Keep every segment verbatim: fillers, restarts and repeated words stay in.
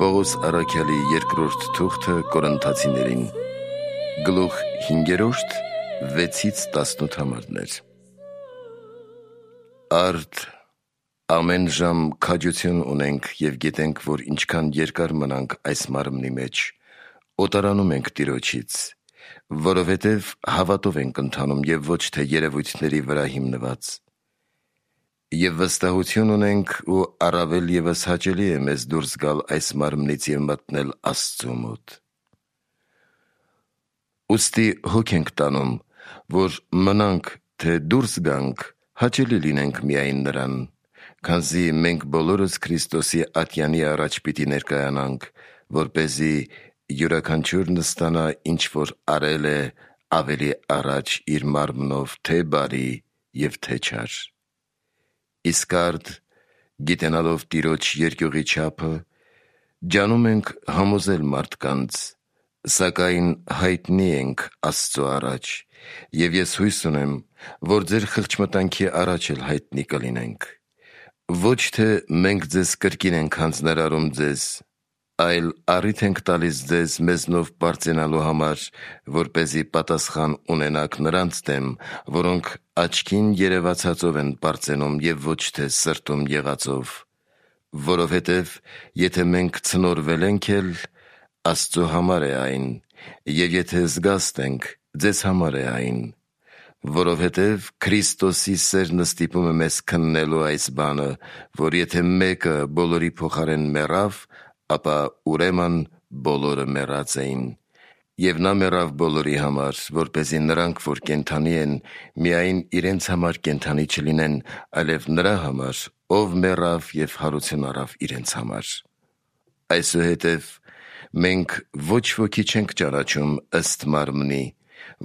Պողոս առաքյալի երկրորդ թուղթը Կորինթացիներին, գլուխ հինգերորդ, վեցից տասնութ համարներ։ Արդ ամեն ժամ քաջություն ունենք և գիտենք, որ ինչքան երկար մնանք այս մարմնի մեջ, օտարանում ենք Տիրոջից, որովհետև հավատով ենք ընթանում և ոչ թե երևույթների վրա հիմնված։ Եվ վստահություն ունենք ու առավել ևս հաճելի է մեզ դուրս գալ այս մարմնից և մտնել Աստծու մոտ։ Ուստի հոգ ենք տանում, որ մնանք, թե դուրս գանք, հաճելի լինենք միայն նրան, քանզի մենք բոլորս Քրիստոսի ատյանի առաջ պիտի ներկայանանք, որպեսզի յուրաքանչյուրն ստանա ինչ որ արել է ավելի առաջ իր մարմնով, թե բարի և թե չար։ Իսկ արդ, գիտենալով Տիրոջ երկյուղի չափը, ջանում ենք համոզել մարդկանց, սակայն հայտնի ենք Աստծու առաջ, և ես հույս ունեմ, որ ձեր խղճմտանքի առաջ էլ հայտնի կլինենք։ Ոչ թե մենք ձեզ կրկին ենք հանձնարարում ձեզ, այլ առիթ ենք տալիս ձեզ մեզնով պարծենալու համար, որպեսզի պատասխան ունենաք նրանց դեմ, որոնք աչքին երևացածով են պարծենում և ոչ թե սրտում եղածով, որովհետև եթե մենք ցնորվել ենք էլ, Աստծու համար է այն, և եթե զգաստ ենք, ձեզ համար է այն, որովհետև Քրիստոսի սերն ստիպում է մեզ քննելու այս բանը, որ եթե մեկը բոլորի փոխարեն մեռավ, ապա ուրեմն բոլորը մեռած էին։ Եվ նա մեռավ բոլորի համար, որպեսզի նրանք, որ կենդանի են, միայն իրենց համար կենդանի չլինեն, այլև նրա համար, ով մեռավ և հարություն առավ իրենց համար։ Այսուհետև մենք ոչ ոքի չենք ճանաչում ըստ մարմնի,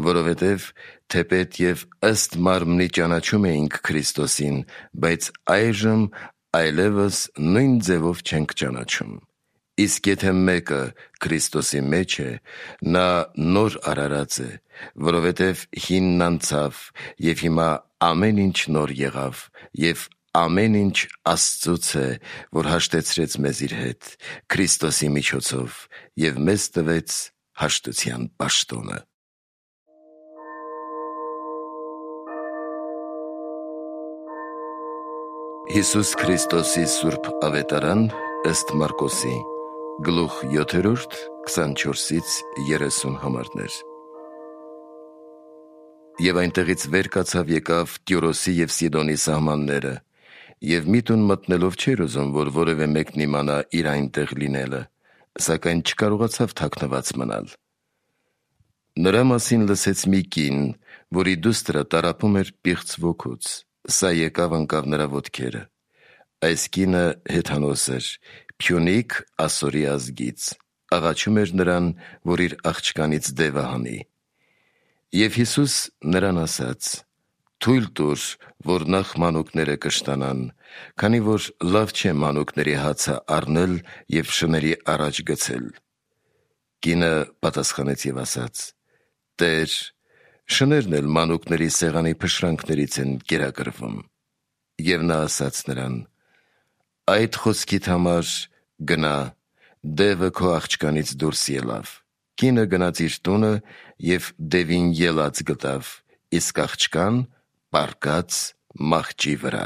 որովհետև թեպետ և ըստ մարմնի ճանաչում էինք Քրիստոսին, բայց այժմ այլևս նույն ձևով չենք ճանաչում։ Իսկ եթե մեկը Քրիստոսի մեջ է, նա նոր արարած է, որովհետև հինն անցավ, և հիմա ամեն ինչ նոր եղավ, և ամեն ինչ Աստծուց է, որ հաշտեցրեց մեզ իր հետ Քրիստոսի միջոցով և մեզ տվեց հաշտության պաշտոնը։ Հիսուս Քրիստոսի սուրբ ավետարան ըստ Մարկոսի, գլուխ յոթերորդ, քսանչորսից երեսուն համարներ։ Եվ այնտեղից վեր կացավ եկավ Տյուրոսի և Սիդոնի սահմանները, և մի տուն մտնելով չէր ուզում, որ որևէ մեկն իմանա իր այնտեղ լինելը, սակայն չկարողացավ թաքնված մնալ։ Նրա մասին լսեց մի կին, որի դուստրը տառապում էր պիղծ ոգուց, սա եկավ ընկավ նրա ոտքերը։ Այս կինը հեթանոս էր, Փյունիկ Ասորի ազգից, աղաչում էր նրան, որ իր աղջկանից դևը հանի։ Եվ Հիսուս նրան ասաց. «Թույլ տուր, որ նախ մանուկները կշտանան, քանի որ լավ չէ մանուկների հացը առնել և շների առաջ գցել»։ Կինը պատասխանեց և ասաց. «Տեր, շներն էլ մանուկների սեղանի փշրանքներից են կերակրվում»։ Եվ նա ասաց նրան. «Այդ խոսքիդ համար գնա, դևը քո աղջկանից դուրս ելավ»։ Կինը գնաց իր տունը և դևին ելած գտավ, իսկ աղջկան պառկած մահճի վրա։